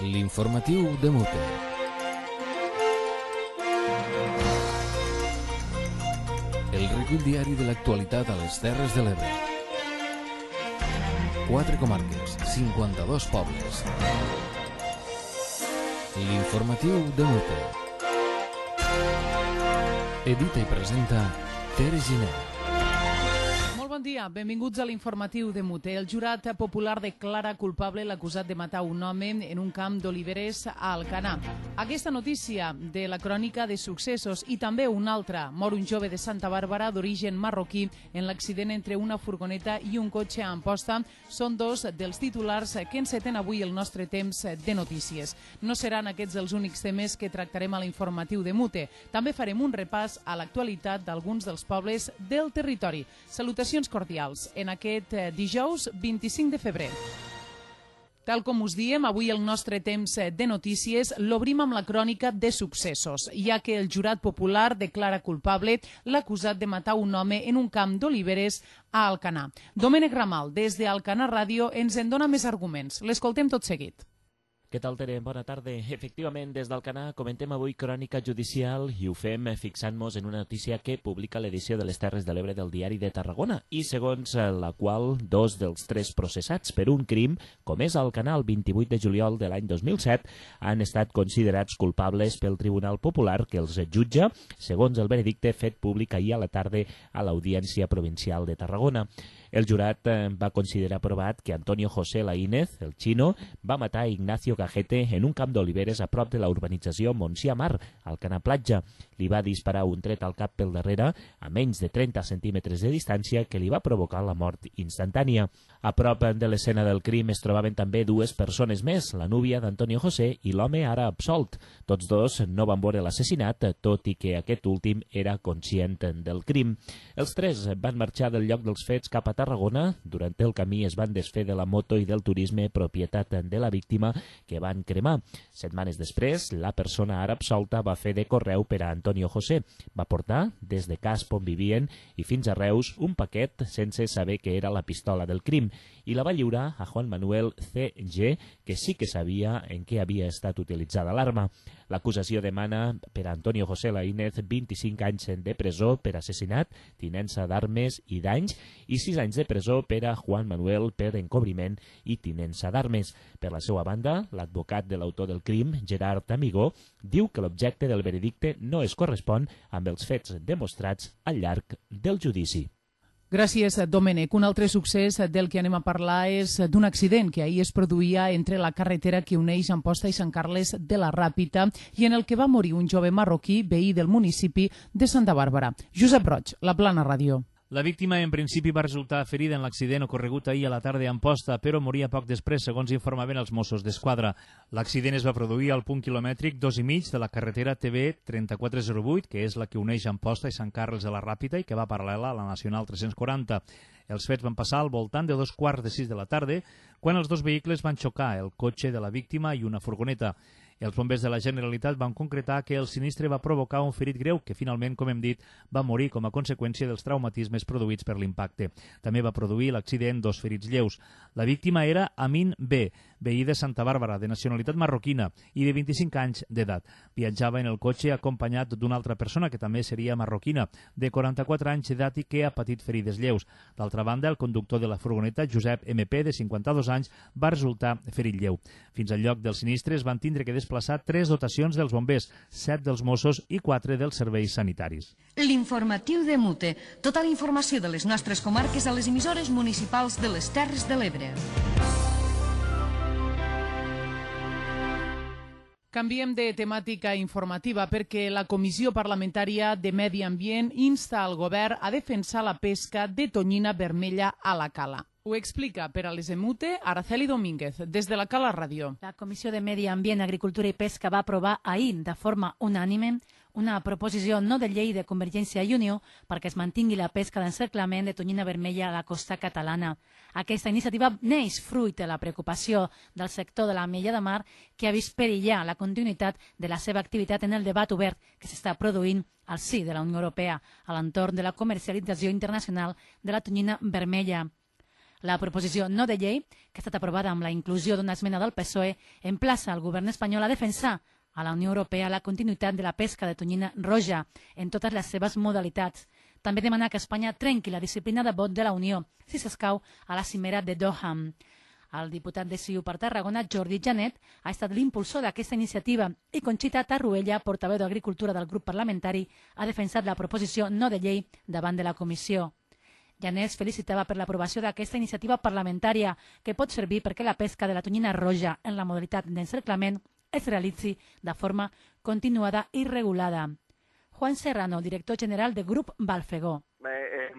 L'informatiu de Mute. El recull diari de l'actualitat a les Terres de l'Ebre. 4 comarques, 52 pobles. L'informatiu de Mute. Edita i presenta Tere Giner. Bon dia, benvinguts a l'informatiu de Mute. El jurat popular declara culpable l'acusat de matar un home en un camp d'oliveres a Alcanar. Aquesta notícia de la crònica de successos i també una altra, mor un jove de Santa Bàrbara d'origen marroquí en l'accident entre una furgoneta i un cotxe a Amposta, són dos dels titulars que enceten avui el nostre temps de notícies. No seran aquests els únics temes que tractarem a l'informatiu de Mute. També farem un repàs a l'actualitat d'alguns dels pobles del territori. Salutacions cordials en aquest dijous 25 de febrer. Tal com us diem, avui el nostre temps de notícies l'obrim amb la crònica de successos, ja que el jurat popular declara culpable l'acusat de matar un home en un camp d'oliveres a Alcanar. Domènec Ramal, des d'Alcanar Ràdio, ens en dona més arguments. L'escoltem tot seguit. Què tal, Tere? Bona tarda. Efectivament, des d'Alcanar comentem avui crònica judicial i ho fem fixant-nos en una notícia que publica l'edició de les Terres de l'Ebre del Diari de Tarragona i segons la qual dos dels 3 processats per un crim comès a Alcanar el 28 de juliol de l'any 2007 han estat considerats culpables pel Tribunal Popular que els jutja segons el veredicte fet públic ahir a la tarda a l'Audiència Provincial de Tarragona. El jurat va considerar provat que Antonio José Laínez, el xino, va matar Ignacio Cajete en un camp d'oliveres a prop de la urbanització Montsià Mar, al Alcanar Platja. Li va disparar un tret al cap pel darrere, a menys de 30 centímetres de distància, que li va provocar la mort instantània. A prop de l'escena del crim es trobaven també 2 persones més, la núvia d'Antonio José i l'home ara absolt. Tots dos no van veure l'assassinat, tot i que aquest últim era conscient del crim. Els 3 van marxar del lloc dels fets cap a Tarragona. Durant el camí es van desfer de la moto i del turisme propietat de la víctima que van cremar. Setmanes després, la persona ara absolta va fer de correu per a Antonio José. Va portar des de Casp on vivien i fins a Reus un paquet sense saber que era la pistola del crim i la va lliurar a Juan Manuel C.G., que sí que sabia en què havia estat utilitzada l'arma. L'acusació demana per a Antonio José Laínez 25 anys de presó per assassinat, tinença d'armes i danys i 6 anys de presó per a Juan Manuel per encobriment i tinença d'armes. Per la seva banda, l'advocat de l'autor del crim, Gerard Amigó, diu que l'objecte del veredicte no es correspon amb els fets demostrats al llarg del judici. Gràcies, Domènec. Un altre succés del que anem a parlar és d'un accident que ahir es produïa entre la carretera que uneix Amposta i Sant Carles de la Ràpita i en el que va morir un jove marroquí veí del municipi de Santa Bàrbara. Josep Roig, La Plana Ràdio. La víctima en principi va resultar ferida en l'accident ocorregut ahir a la tarda a Amposta, però moria poc després, segons informaven els Mossos d'Esquadra. L'accident es va produir al punt quilomètric 2,5 de la carretera TV 3408, que és la que uneix Amposta i Sant Carles de la Ràpita i que va paral·lela a la Nacional 340. Els fets van passar al voltant de 5:15 de la tarda, quan els 2 vehicles van xocar, el cotxe de la víctima i una furgoneta. Els bombers de la Generalitat van concretar que el sinistre va provocar un ferit greu que finalment, com hem dit, va morir com a conseqüència dels traumatismes produïts per l'impacte. També va produir l'accident 2 ferits lleus. La víctima era Amin B., veí de Santa Bàrbara, de nacionalitat marroquina i de 25 anys d'edat. Viatjava en el cotxe acompanyat d'una altra persona que també seria marroquina, de 44 anys d'edat i que ha patit ferides lleus. D'altra banda, el conductor de la furgoneta, Josep MP, de 52 anys, va resultar ferit lleu. Fins al lloc del sinistre es van tindre que desplaçar 3 dotacions dels bombers, 7 dels Mossos i 4 dels serveis sanitaris. L'informatiu de Mute. Tota la informació de les nostres comarques a les emissores municipals de les Terres de l'Ebre. Canviem de temàtica informativa perquè la Comissió Parlamentària de Medi Ambient insta al govern a defensar la pesca de tonyina vermella a la cala. Ho explica per a les Emute Araceli Domínguez, des de la Cala Ràdio. La Comissió de Medi Ambient, Agricultura i Pesca va aprovar ahir de forma unànime una proposició no de llei de Convergència i Unió perquè es mantingui la pesca d'encerclament de tonyina vermella a la costa catalana. Aquesta iniciativa neix fruit de la preocupació del sector de l'ametlla de mar que ha vist perillar la continuïtat de la seva activitat en el debat obert que s'està produint al si de la Unió Europea a l'entorn de la comercialització internacional de la tonyina vermella. La proposició no de llei, que ha estat aprovada amb la inclusió d'una esmena del PSOE, emplaça el govern espanyol a defensar a la Unió Europea la continuïtat de la pesca de tonyina roja en totes les seves modalitats. També demana que Espanya trenqui la disciplina de vot de la Unió, si s'escau a la cimera de Doha. El diputat de CiU per Tarragona, Jordi Janet, ha estat l'impulsor d'aquesta iniciativa i Conxita Tarruella, portaveu d'Agricultura del grup parlamentari, ha defensat la proposició no de llei davant de la comissió. Janet felicitava per l'aprovació d'aquesta iniciativa parlamentària que pot servir perquè la pesca de la tonyina roja en la modalitat d'encerclament es realitzi de forma continuada i regulada. Juan Serrano, director general de Grup Balfegó.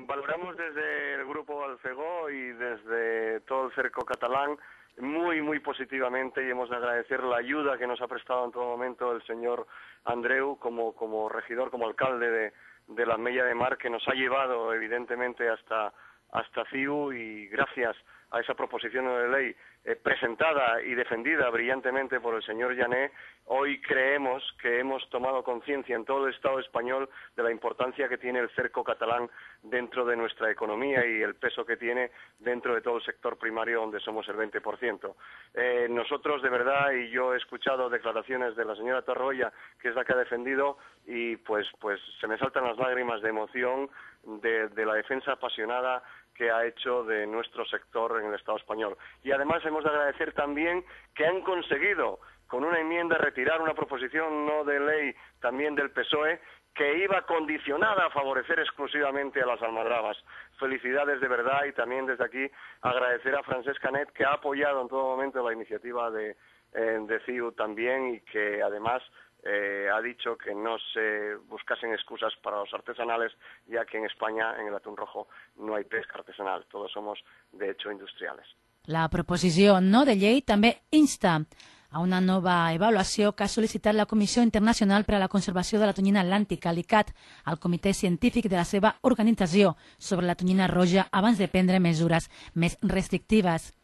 Valoramos desde el Grupo Balfegó y desde todo el cerco catalán muy positivamente y hemos de agradecer la ayuda que nos ha prestado en todo momento el señor Andreu como regidor, como alcalde de la Mella de Mar, que nos ha llevado evidentemente hasta CiU, y gracias a esa proposición de ley presentada y defendida brillantemente por el señor Janet, hoy creemos que hemos tomado conciencia en todo el Estado español de la importancia que tiene el cerco catalán dentro de nuestra economía y el peso que tiene dentro de todo el sector primario, donde somos el 20%. Nosotros, de verdad, y yo he escuchado declaraciones de la señora Tarroya, que es la que ha defendido, y pues se me saltan las lágrimas de emoción de la defensa apasionada que ha hecho de nuestro sector en el Estado español. Y además hemos de agradecer también que han conseguido, con una enmienda, retirar una proposición no de ley también del PSOE, que iba condicionada a favorecer exclusivamente a las almadrabas. Felicidades de verdad, y también desde aquí agradecer a Francesc Canet, que ha apoyado en todo momento la iniciativa de CiU también, y que además ha dicho que no se buscasen excusas para los artesanales, ya que en España, en el atún rojo, no hay pesca artesanal. Todos somos, de hecho, industriales. La proposició no de llei també insta a una nova avaluació que ha sol·licitat la Comissió Internacional per a la Conservació de la Tonyina Atlàntica, l'ICAT, al Comitè Científic de la seva organització sobre la tonyina roja abans de prendre mesures més restrictives.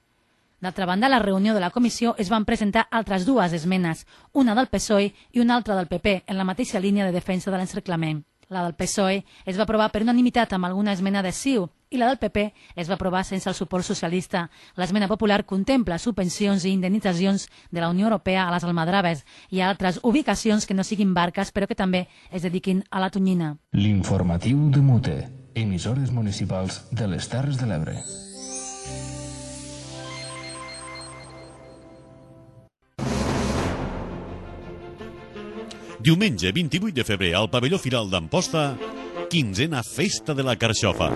D'altra banda, a la reunió de la comissió es van presentar altres dues esmenes, una del PSOE i una altra del PP, en la mateixa línia de defensa de l'encerclament. La del PSOE es va aprovar per unanimitat amb alguna esmena de CiU i la del PP es va aprovar sense el suport socialista. L'esmena popular contempla subvencions i indemnitzacions de la Unió Europea a les almadraves i a altres ubicacions que no siguin barques però que també es dediquin a la tonyina. L'informatiu de Mute, emissores municipals de les Terres de l'Ebre. Diumenge 28 de febrer al pavelló Firal d'Amposta, 15a Festa de la Carxofa.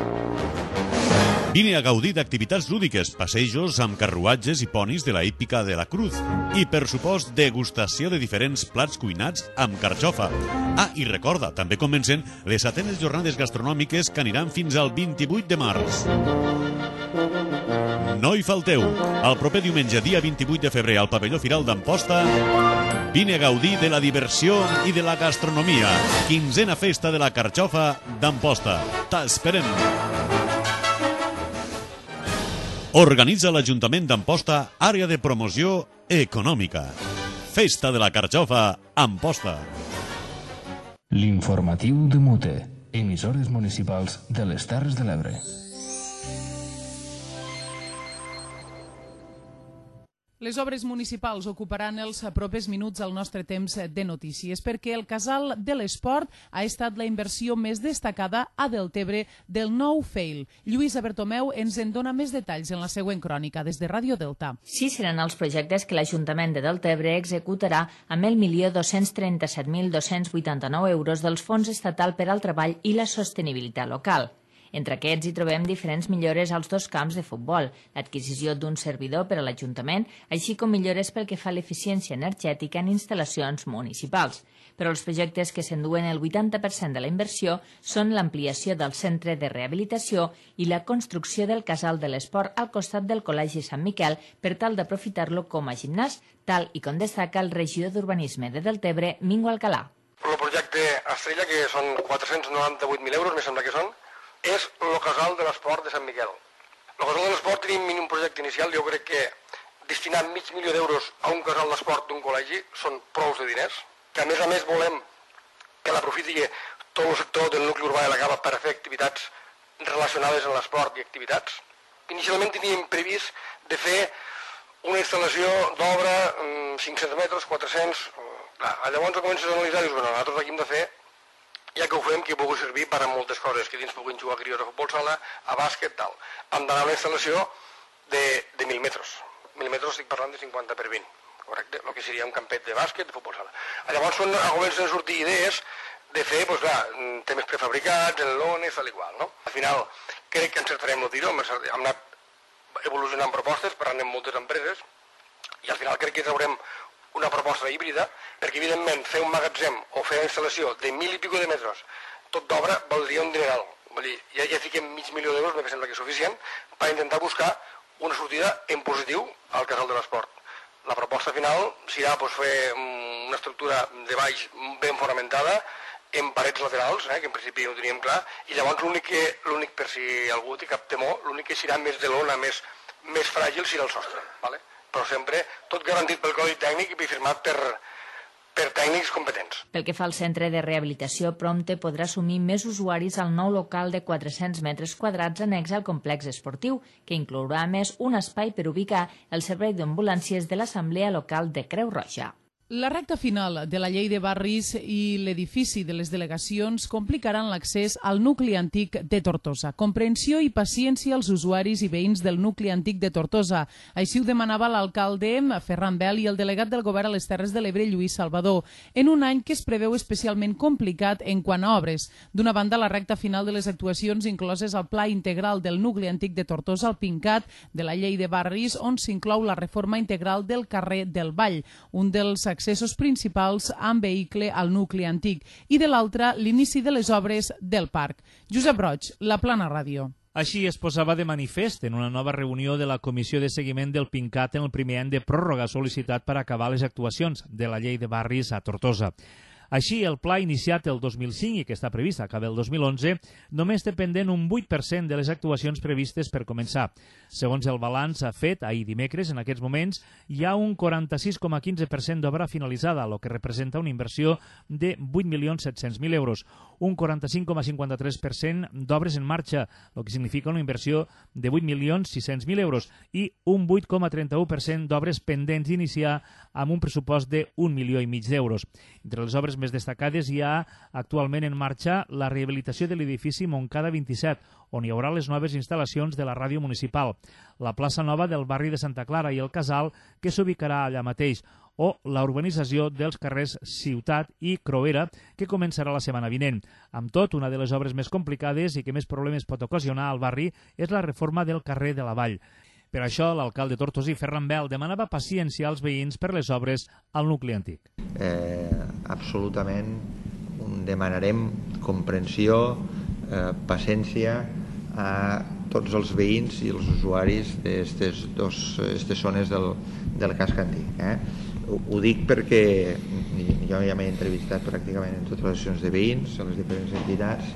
Vine a gaudir d'activitats lúdiques, passejos amb carruatges i ponis de la hípica de la Cruz i, per supost, degustació de diferents plats cuinats amb carxofa. I recorda, també comencen les 7enes jornades gastronòmiques que aniran fins al 28 de març. No hi falteu. El proper diumenge, dia 28 de febrer, al pavelló Firal d'Amposta, vine a gaudir de la diversió i de la gastronomia. 15a Festa de la Carxofa d'Amposta. T'esperem! Organitza l'Ajuntament d'Amposta, àrea de promoció econòmica. Festa de la Carxofa, Amposta. L'informatiu de Mute, emissores municipals de les Terres de l'Ebre. Les obres municipals ocuparan els propers minuts al nostre temps de notícies, perquè el Casal de l'Esport ha estat la inversió més destacada a Deltebre del nou FEIL. Lluïsa Bertomeu ens en dona més detalls en la següent crònica des de Ràdio Delta. Sí, seran els projectes que l'Ajuntament de Deltebre executarà amb el 1.237.289 euros dels Fons Estatal per al Treball i la Sostenibilitat Local. Entre aquests hi trobem diferents millores als dos camps de futbol, l'adquisició d'un servidor per a l'Ajuntament, així com millores pel que fa a l'eficiència energètica en instal·lacions municipals. Però els projectes que s'enduen el 80% de la inversió són l'ampliació del centre de rehabilitació i la construcció del Casal de l'Esport al costat del Col·legi Sant Miquel per tal d'aprofitar-lo com a gimnàs, tal i com destaca el regidor d'Urbanisme de Deltebre, Mingo Alcalà. El projecte Estrella, que són 498.000 euros, me sembla que són, és el Casal de l'Esport de Sant Miquel. El Casal de l'Esport tenim un projecte inicial, jo crec que destinar $500.000 a un casal d'esport d'un col·legi són prous de diners, que a més volem que l'aprofiti tot el sector del nucli urbà de la Cava per fer activitats relacionades amb l'esport i activitats. inicialment teníem previst de fer una instal·lació d'obra 500 metres, 400... Llavors comences a analitzar i dius, bueno, nosaltres aquí hem de fer, ja que ho fem, que pugui servir per a moltes coses, que dins puguin jugar crios a futbol sala, a bàsquet, tal. Hem d'anar a una instal·lació de 1.000 metres. 1.000 metres estic parlant de 50 per 20, correcte? El que seria un campet de bàsquet, de futbol sala. Llavors comencen a sortir idees de fer, doncs clar, temes prefabricats, en lones, tal i qual, no? Al final, crec que encertarem el tiro, hem anat evolucionant propostes, parlant amb moltes empreses, i al final crec que traurem una proposta híbrida, perquè evidentment fer un magatzem o fer una instal·lació de 1.000 i pico de metres, tot d'obra, valdria un dineral. Vull dir, ja fiquem $500.000, me sembla que és suficient, per intentar buscar una sortida en positiu al casal de l'esport. La proposta final serà fer una estructura de baix ben fonamentada, en parets laterals, que en principi ho teníem clar, i llavors l'únic, per si algú té cap temor, l'únic que serà més de lona, més fràgil, serà el sostre, ¿vale? Però sempre tot garantit pel codi tècnic i firmat per tècnics competents. Pel que fa al centre de rehabilitació, prompte podrà assumir més usuaris al nou local de 400 metres quadrats annex al complex esportiu, que inclourà a més un espai per ubicar el servei d'ambulàncies de l'Assemblea Local de Creu Roja. La recta final de la llei de barris i l'edifici de les delegacions complicaran l'accés al nucli antic de Tortosa. Comprensió i paciència als usuaris i veïns del nucli antic de Tortosa. Així ho demanava l'alcalde Ferran Bel i el delegat del govern a les Terres de l'Ebre, Lluís Salvador, en un any que es preveu especialment complicat en quant a obres. D'una banda, la recta final de les actuacions incloses al Pla Integral del nucli antic de Tortosa, al PINCAT de la llei de barris, on s'inclou la reforma integral del carrer del Vall, un dels accessos principals amb vehicle al nucli antic, i de l'altre, l'inici de les obres del parc. Josep Roig, La Plana Ràdio. Així es posava de manifest en una nova reunió de la Comissió de Seguiment del PINCAT en el primer any de pròrroga sol·licitat per acabar les actuacions de la llei de barris a Tortosa. Així, el pla iniciat el 2005 i que està previst acabar el 2011 només té pendent un 8% de les actuacions previstes per començar. Segons el balanç fet ahir dimecres, en aquests moments hi ha un 46,15% d'obra finalitzada, el que representa una inversió de 8.700.000 euros, un 45,53% d'obres en marxa, el que significa una inversió de 8.600.000 euros, i un 8,31% d'obres pendents d'iniciar amb un pressupost de 1,5 milions d'euros. Entre les obres més destacades hi ha actualment en marxa la rehabilitació de l'edifici Montcada 27, on hi haurà les noves instal·lacions de la ràdio municipal, la plaça nova del barri de Santa Clara i el casal, que s'ubicarà allà mateix, o la urbanització dels carrers Ciutat i Croera, que començarà la setmana vinent. Amb tot, una de les obres més complicades i que més problemes pot ocasionar al barri és la reforma del carrer de la Vall. Per això, l'alcalde tortosí, Ferran Bel, demanava paciència als veïns per les obres al nucli antic. Absolutament demanarem comprensió, paciència a tots els veïns i els usuaris d'aquestes zones del casc antic. Ho dic perquè jo ja m'he entrevistat pràcticament en totes les sessions de veïns, a les diferents entitats,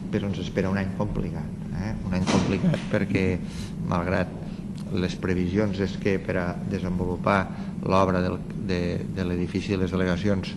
però ens espera un any complicat. Un any complicat perquè, malgrat les previsions és que per a desenvolupar l'obra de l'edifici de les delegacions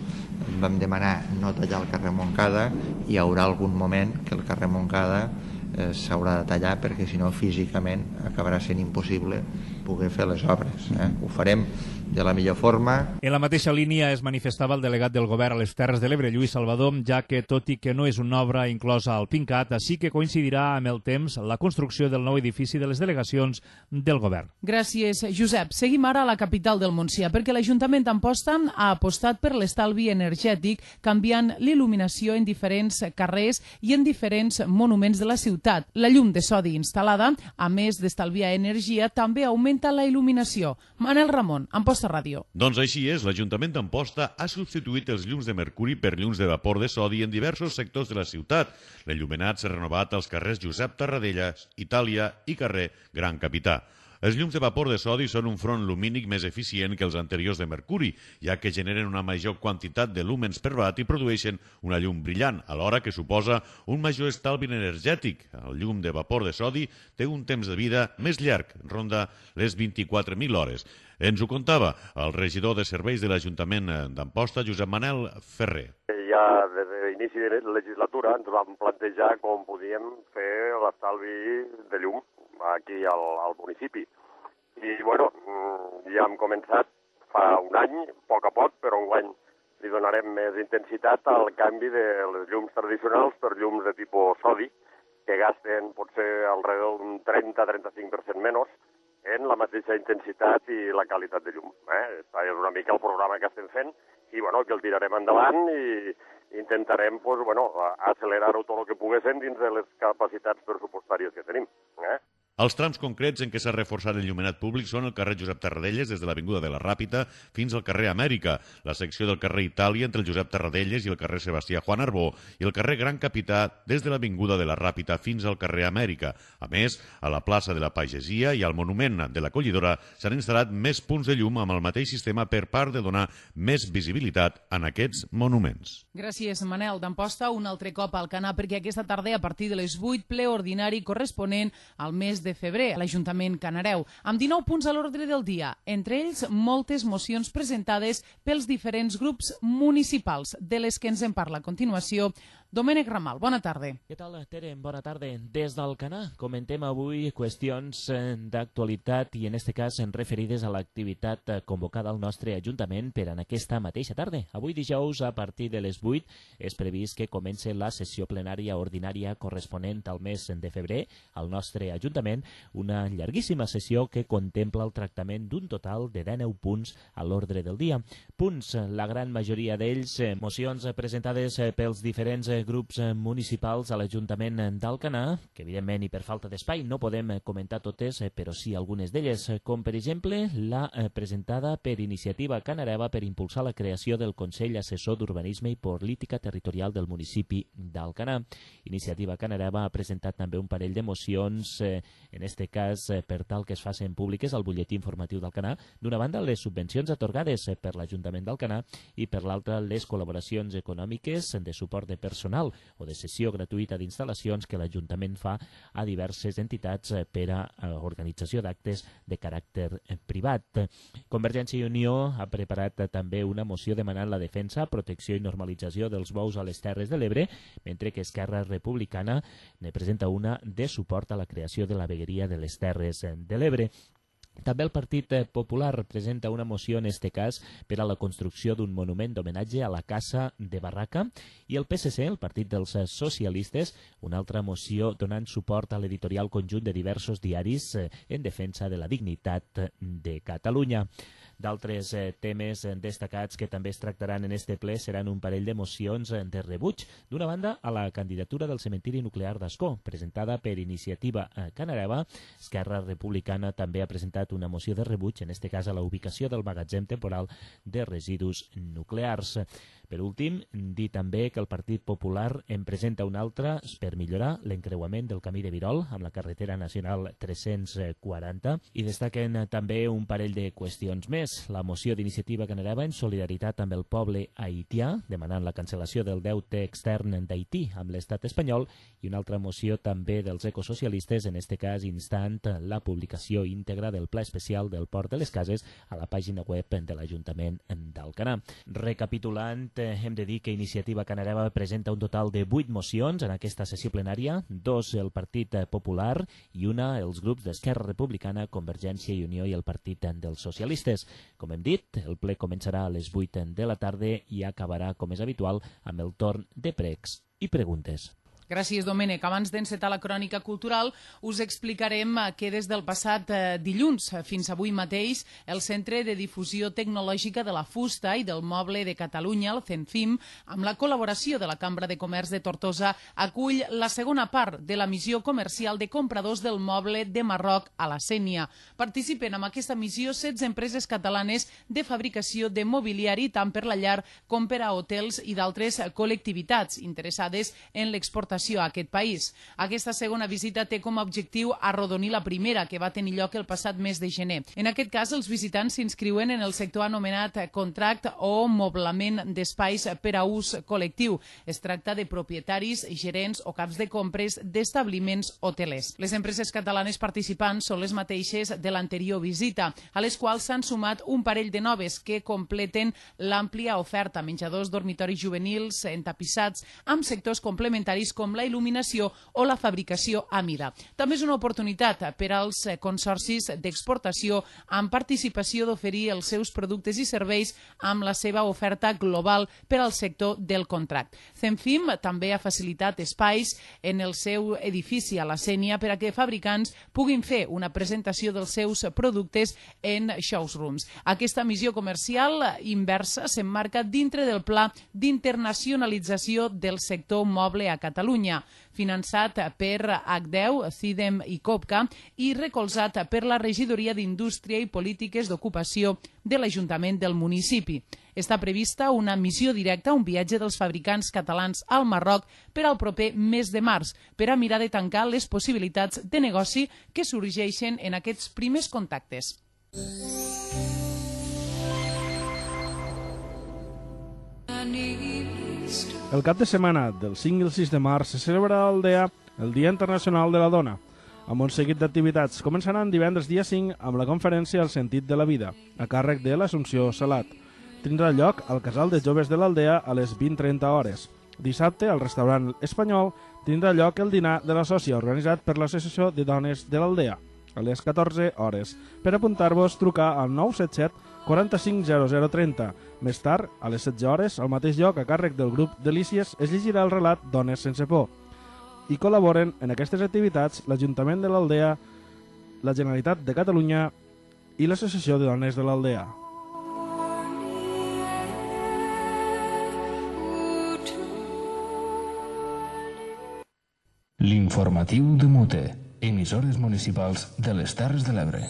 vam demanar no tallar el carrer Montcada, i hi haurà algun moment que el carrer Montcada s'haurà de tallar perquè si no físicament acabarà sent impossible poder fer les obres. Ho farem de la millor forma. En la mateixa línia es manifestava el delegat del govern a les Terres de l'Ebre, Lluís Salvador, ja que, tot i que no és una obra inclosa al PINCAT, sí que coincidirà amb el temps la construcció del nou edifici de les delegacions del govern. Gràcies, Josep. Seguim ara a la capital del Montsià, perquè l'Ajuntament d'Amposta ha apostat per l'estalvi energètic, canviant l'il·luminació en diferents carrers i en diferents monuments de la ciutat. La llum de sodi instal·lada, a més d'estalviar energia, també augmenta la il·luminació. Manel Ramon, Amposta Ràdio. Doncs així és, l'Ajuntament d'Amposta ha substituït els llums de mercuri per llums de vapor de sodi en diversos sectors de la ciutat. L'il·luminat s'ha renovat als carrers Josep Tarradellas, Itàlia i carrer Gran Capità. Els llums de vapor de sodi són un front lumínic més eficient que els anteriors de mercuri, ja que generen una major quantitat de lúmens per watt i produeixen una llum brillant, alhora que suposa un major estalvi energètic. El llum de vapor de sodi té un temps de vida més llarg, ronda les 24.000 hores. Ens ho contava el regidor de serveis de l'Ajuntament d'Amposta, Josep Manel Ferrer. Ja des de l'inici de la legislatura ens vam plantejar com podíem fer l'estalvi de llum aquí al municipi. I, bueno, ja hem començat fa un any, a poc, però enguany li donarem més intensitat al canvi de les llums tradicionals per llums de tipus sodi, que gasten potser alrededor d'un 30-35% menys en la mateixa intensitat i la qualitat de llum. Això és una mica el programa que estem fent i que el tirarem endavant i intentarem accelerar-ho tot el que poguéssim dins de les capacitats pressupostàries que tenim. Els trams concrets en què s'ha reforçat l'enllumenat públic són el carrer Josep Tarradellas des de l'Avinguda de la Ràpita fins al carrer Amèrica, la secció del carrer Itàlia entre el Josep Tarradellas i el carrer Sebastià Juan Arbó i el carrer Gran Capità des de l'Avinguda de la Ràpita fins al carrer Amèrica. A més, a la plaça de la Pagesia i al monument de la Collidora s'han instal·lat més punts de llum amb el mateix sistema per part de donar més visibilitat en aquests monuments. Gràcies, Manel. D'Amposta, un altre cop al Canà, perquè aquesta tarda, a partir de les 8, ple ordinari corresponent al mes de febrer a l'Ajuntament Canareu, amb 19 punts a l'ordre del dia, entre ells moltes mocions presentades pels diferents grups municipals, de les que ens en parla a continuació Domènec Ramal. Bona tarda. Què tal, Tere? Bona tarda. Des del Canà comentem avui qüestions d'actualitat i en este cas referides a l'activitat convocada al nostre Ajuntament per en aquesta mateixa tarda. Avui dijous, a partir de les 8, és previst que comenci la sessió plenària ordinària corresponent al mes de febrer al nostre Ajuntament, una llarguíssima sessió que contempla el tractament d'un total de 19 punts a l'ordre del dia. Punts, la gran majoria d'ells, mocions presentades pels diferents grups municipals a l'Ajuntament d'Alcanar, que evidentment i per falta d'espai no podem comentar totes, però sí algunes d'elles, com per exemple la presentada per Iniciativa Canareva per impulsar la creació del Consell Assessor d'Urbanisme i Política Territorial del municipi d'Alcanar. Iniciativa Canareva ha presentat també un parell de mocions, en este cas per tal que es facin públiques al butlletí informatiu d'Alcanar, d'una banda les subvencions atorgades per l'Ajuntament d'Alcanar i per l'altra les col·laboracions econòmiques de suport de personal o de cessió gratuïta d'instal·lacions que l'Ajuntament fa a diverses entitats per a organització d'actes de caràcter privat. Convergència i Unió ha preparat també una moció demanant la defensa, protecció i normalització dels bous a les Terres de l'Ebre, mentre que Esquerra Republicana ne presenta una de suport a la creació de la vegueria de les Terres de l'Ebre. També el Partit Popular presenta una moció, en este cas, per a la construcció d'un monument d'homenatge a la Casa de Barraca, i el PSC, el Partit dels Socialistes, una altra moció donant suport a l'editorial conjunt de diversos diaris en defensa de la dignitat de Catalunya. D'altres temes destacats que també es tractaran en este ple seran un parell de mocions de rebuig. D'una banda, a la candidatura del cementiri nuclear d'Ascó, presentada per Iniciativa Canareva. Esquerra Republicana també ha presentat una moció de rebuig, en este cas a la ubicació del magatzem temporal de residus nuclears. Per últim, dir també que el Partit Popular en presenta una altra per millorar l'encreuament del camí de Virol amb la carretera nacional 340 i destaquen també un parell de qüestions més. La moció d'Iniciativa Canareva en solidaritat amb el poble haitià, demanant la cancel·lació del deute extern d'Haití amb l'estat espanyol, i una altra moció també dels ecosocialistes, en este cas instant la publicació íntegra del Pla Especial del Port de les Cases a la pàgina web de l'Ajuntament d'Alcanar. Recapitulant, hem de dir que Iniciativa Canareva presenta un total de 8 mocions en aquesta sessió plenària, 2 el Partit Popular i una els grups d'Esquerra Republicana, Convergència i Unió i el Partit dels Socialistes. Com hem dit, el ple començarà a les 8 de la tarda i acabarà, com és habitual, amb el torn de pregs i preguntes. Gràcies, Domènec. Abans d'encetar la crònica cultural, us explicarem que des del passat dilluns fins avui mateix el Centre de Difusió Tecnològica de la Fusta i del Moble de Catalunya, el CENFIM, amb la col·laboració de la Cambra de Comerç de Tortosa, acull la segona part de la missió comercial de compradors del moble de Marroc a la Sénia. Participen en aquesta missió 16 empreses catalanes de fabricació de mobiliari tant per la llar com per a hotels i d'altres col·lectivitats interessades en l'exportació a aquest país. Aquesta segona visita té com a objectiu arrodonir la primera, que va tenir lloc el passat mes de gener. En aquest cas, els visitants s'inscriuen en el sector anomenat contract o moblament d'espais per a ús col·lectiu. Es tracta de propietaris, gerents o caps de compres d'establiments hotelers. Les empreses catalanes participants són les mateixes de l'anterior visita, a les quals s'han sumat un parell de noves que completen l'àmplia oferta, menjadors, dormitoris juvenils, entapissats, amb sectors complementaris com com la il·luminació o la fabricació a mida. També és una oportunitat per als consorcis d'exportació amb participació d'oferir els seus productes i serveis amb la seva oferta global per al sector del contract. Zenfim també ha facilitat espais en el seu edifici a la Sénia per a que fabricants puguin fer una presentació dels seus productes en showrooms. Aquesta missió comercial inversa s'emmarca dintre del Pla d'Internacionalització del Sector Moble a Catalunya, finançat per HDEU, CIDEM i COPCA i recolzat per la Regidoria d'Indústria i Polítiques d'Ocupació de l'Ajuntament del municipi. Està prevista una missió directa, un viatge dels fabricants catalans al Marroc per al proper mes de març, per a mirar de tancar les possibilitats de negoci que sorgeixen en aquests primers contactes. El cap de setmana del 5 i el 6 de març se celebra a Aldea el Dia Internacional de la Dona, amb un seguit d'activitats. Començaran divendres dia 5 amb la conferència El sentit de la vida, a càrrec de l'Assumpció Salat. Tindrà lloc al Casal de Joves de l'Aldea a les 20:30 hores. Dissabte, al restaurant Espanyol, tindrà lloc el dinar de la sòcia organitzat per l'Associació de Dones de l'Aldea, a les 14 hores. Per apuntar-vos, trucar al 977 45 0030. Més tard, a les 16 hores, al mateix lloc, a càrrec del grup Delícies, es llegirà el relat Dones sense por. I col·laboren en aquestes activitats l'Ajuntament de l'Aldea, la Generalitat de Catalunya i l'Associació de Dones de l'Aldea. L'informatiu de Mute, emissores municipals de les Terres de l'Ebre.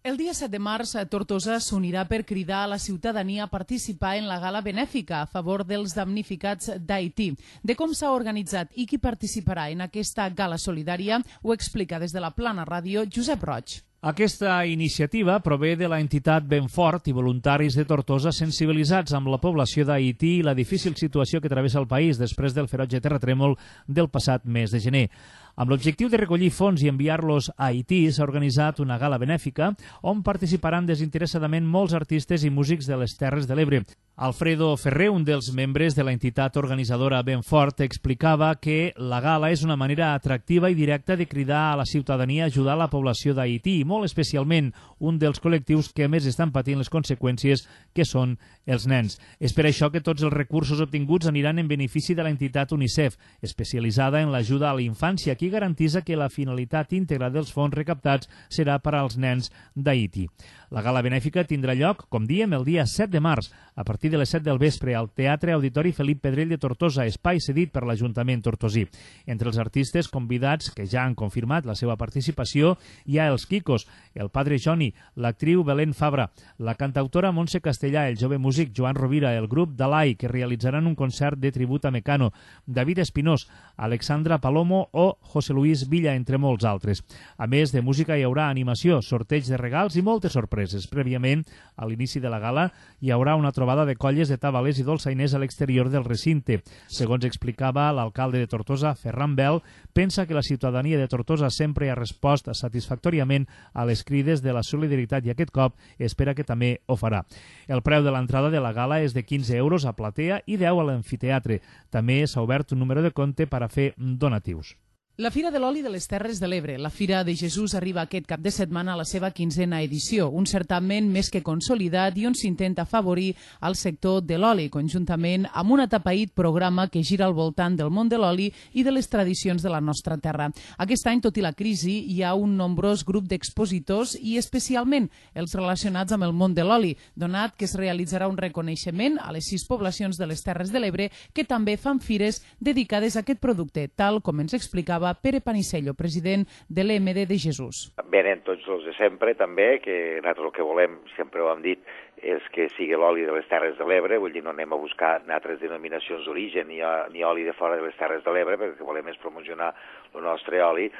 El dia 7 de març, Tortosa s'unirà per cridar a la ciutadania a participar en la gala benèfica a favor dels damnificats d'Haití. De com s'ha organitzat i qui participarà en aquesta gala solidària ho explica des de la Plana Ràdio Josep Roig. Aquesta iniciativa prové de la entitat Benfort i voluntaris de Tortosa sensibilitzats amb la població d'Haití i la difícil situació que travessa el país després del ferotge terratrèmol del passat mes de gener. Amb l'objectiu de recollir fons i enviar-los a Haití, s'ha organitzat una gala benèfica on participaran desinteressadament molts artistes i músics de les Terres de l'Ebre. Alfredo Ferrer, un dels membres de la entitat organitzadora Benfort, explicava que la gala és una manera atractiva i directa de cridar a la ciutadania a ajudar la població d'Haití i molt especialment un dels col·lectius que més estan patint les conseqüències, que són els nens. És per això que tots els recursos obtinguts aniran en benefici de l'entitat UNICEF, especialitzada en l'ajuda a la infància, qui garantitza que la finalitat íntegra dels fons recaptats serà per als nens d'Haití. La gala benèfica tindrà lloc, com diem, el dia 7 de març, a partir de les 7 del vespre, al Teatre Auditori Felip Pedrell de Tortosa, espai cedit per l'Ajuntament tortosí. Entre els artistes convidats, que ja han confirmat la seva participació, hi ha els Quicos, el Padre Joni, l'actriu Belén Fabra, la cantautora Montse Castellà, el jove músic Joan Rovira, el grup Dalai, que realitzaran un concert de tribut a Mecano, David Espinós, Alexandra Palomo o José Luis Villa, entre molts altres. A més de música hi haurà animació, sorteig de regals i moltes sorpreses. Prèviament, a l'inici de la gala, hi haurà una trobada de colles de tabalers i dolçainers a l'exterior del recinte. Segons explicava l'alcalde de Tortosa, Ferran Bel, pensa que la ciutadania de Tortosa sempre ha respost satisfactòriament a les crides de la solidaritat i aquest cop espera que també ho farà. El preu de l'entrada de la gala és de 15 euros a platea i 10 a l'amfiteatre. També s'ha obert un número de compte per a fer donatius. La Fira de l'Oli de les Terres de l'Ebre, la Fira de Jesús, arriba aquest cap de setmana a la seva 15a edició, un certamen més que consolidat i on s'intenta afavorir el sector de l'oli, conjuntament amb un atapeït programa que gira al voltant del món de l'oli i de les tradicions de la nostra terra. Aquest any, tot i la crisi, hi ha un nombrós grup d'expositors i especialment els relacionats amb el món de l'oli, donat que es realitzarà un reconeixement a les 6 poblacions de les Terres de l'Ebre que també fan fires dedicades a aquest producte, tal com ens explicava Pere Panisello, president de l'EMD de Jesús. Venen tots els de sempre, també, que nosaltres el que volem, sempre ho hem dit, és que sigui l'oli de les Terres de l'Ebre, vull dir, no anem a buscar altres denominacions d'origen ni oli de fora de les Terres de l'Ebre, perquè el que volem és promocionar el nostre oli,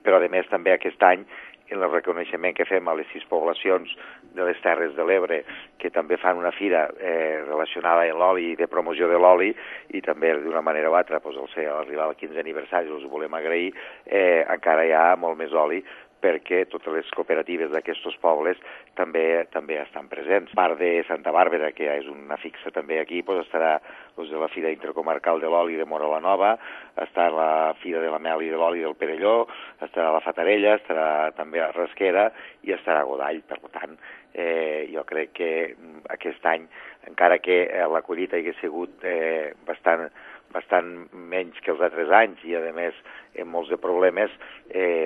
però a més també aquest any en el reconeixement que fem a les 6 poblacions de les Terres de l'Ebre, que també fan una fira relacionada amb l'oli i de promoció de l'oli, i també d'una manera o altra, al arribar al 15è aniversari, els volem agrair, encara hi ha molt més oli perquè totes les cooperatives d'aquests pobles també estan presents. A part de Santa Bàrbara, que és una fixa també aquí, estarà de la Fira Intercomarcal de l'Oli de Móra la Nova, estarà la Fira de la Mel i de l'Oli del Perelló, estarà la Fatarella, estarà també a Rasquera i estarà a Godall. Per tant, jo crec que aquest any, encara que la collita hagi sigut bastant menys que els altres anys i, a més, amb molts de problemes,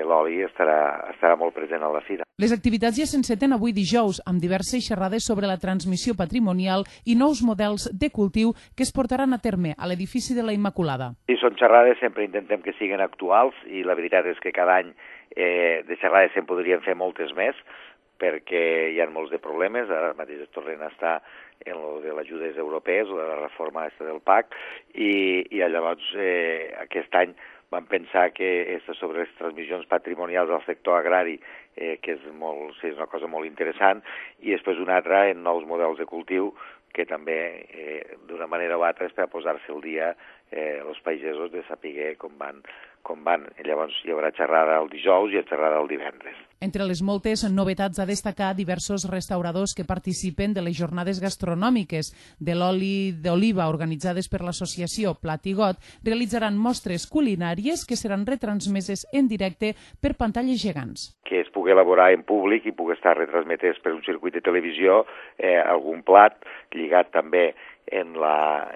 l'oli estarà molt present a la fira. Les activitats ja s'enceten avui dijous, amb diverses xerrades sobre la transmissió patrimonial i nous models de cultiu que es portaran a terme a l'edifici de la Immaculada. Sí, són xerrades, sempre intentem que siguin actuals i la veritat és que cada any de xerrades se'n podrien fer moltes més, perquè hi ha molts de problemes. Ara mateix es tornen a estar en lo de les ajudes europees o de la reforma del PAC i llavors aquest any vam pensar que sobre les transmissions patrimonials del sector agrari, que és una cosa molt interessant, i després una altra en nous models de cultiu que també d'una manera o altra és per posar-se al dia els pagesos de saber com van. Llavors hi haurà xerrada el dijous i xerrada el divendres. Entre les moltes novetats a destacar diversos restauradors que participen de les jornades gastronòmiques de l'oli d'oliva organitzades per l'associació Plat i Got realitzaran mostres culinàries que seran retransmeses en directe per pantalles gegants. Que es pugui elaborar en públic i pugui estar retransmetés per un circuit de televisió algun plat lligat també en la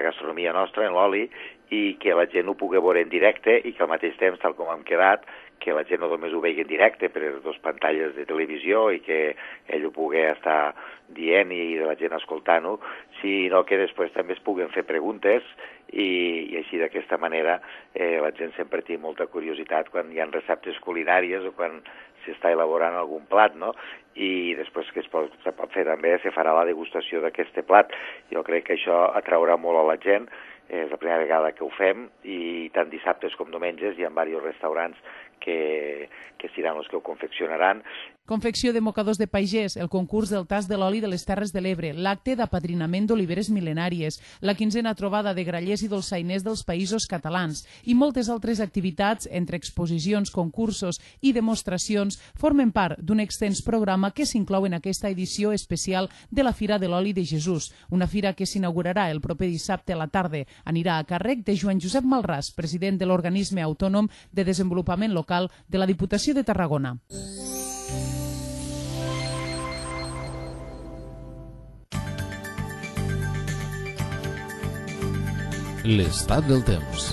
gastronomia nostra, en l'oli, i que la gent ho pugui veure en directe i que al mateix temps, tal com hem quedat, que la gent no només ho vegi en directe per les dues pantalles de televisió i que ell ho pugui estar dient i la gent escoltant-ho, sinó que després també es puguen fer preguntes i així d'aquesta manera la gent sempre té molta curiositat quan hi ha receptes culinàries o quan s'està elaborant algun plat, no? I després que se pot fer també, se farà la degustació d'aquest plat. Jo crec que això atraurà molt a la gent, és la primera vegada que ho fem i tant dissabtes com diumenges hi ha diversos restaurants que seran els que ho confeccionaran. Confecció de mocadors de pagès, el concurs del tas de l'oli de les Terres de l'Ebre, l'acte d'apadrinament d'oliveres mil·lenàries, la 15a trobada de grallers i dolçainers dels països catalans i moltes altres activitats entre exposicions, concursos i demostracions formen part d'un extens programa que s'inclou en aquesta edició especial de la Fira de l'Oli de Jesús, una fira que s'inaugurarà el proper dissabte a la tarda. Anirà a càrrec de Joan Josep Malràs, president de l'Organisme Autònom de Desenvolupament Local de la Diputació de Tarragona. L'estat del temps.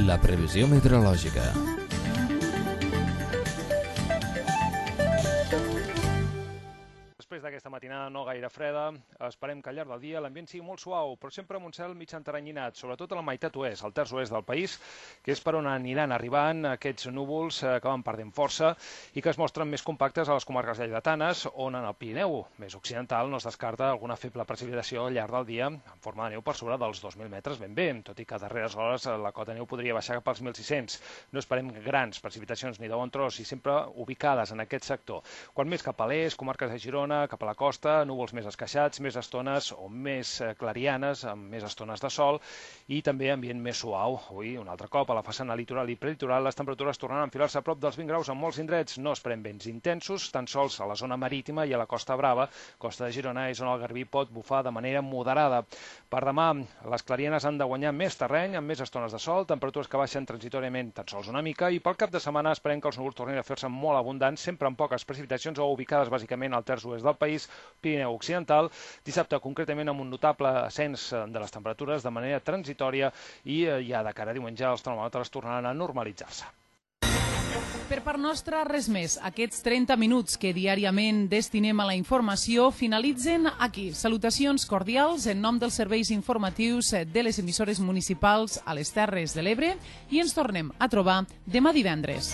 La previsió meteorològica. Després d'aquesta matinada no gaire freda, esperem que al llarg del dia l'ambient sigui molt suau, però sempre amb un cel mig enteranyinat, sobretot a la meitat oest, al terç oest del país, que és per on aniran arribant aquests núvols que van perdent força i que es mostren més compactes a les comarques lleidatanes, on en el Pirineu més occidental no es descarta alguna feble precipitació al llarg del dia en forma de neu per sobre dels 2.000 metres ben bé, tot i que a darreres hores la cota de neu podria baixar cap als 1.600. No esperem grans precipitacions ni de bon tros i sempre ubicades en aquest sector. Quan més cap a l'est, comarques de Girona, cap a la costa, núvols més esqueixats, més estones o més clarianes, amb més estones de sol i també ambient més suau. Avui, un altre cop, a la façana litoral i prelitoral, les temperatures tornaran a enfilar-se a prop dels 20 graus en molts indrets. No esperem vents intensos, tan sols a la zona marítima i a la Costa Brava. Costa de Girona és on el garbí pot bufar de manera moderada. Per demà, les clarianes han de guanyar més terreny, amb més estones de sol, temperatures que baixen transitoriament tan sols una mica, i pel cap de setmana esperem que els núvols tornin a fer-se molt abundants, sempre amb poques precipitacions o ubicades bàsicament al terç oest del país, Pirineu Occidental, dissabte concretament amb un notable ascens de les temperatures de manera transitòria i ja de cara a diumenge els termòmetres tornaran a normalitzar-se. Per part nostra, res més. Aquests 30 minuts que diàriament destinem a la informació finalitzen aquí. Salutacions cordials en nom dels serveis informatius de les emissores municipals a les Terres de l'Ebre i ens tornem a trobar demà divendres.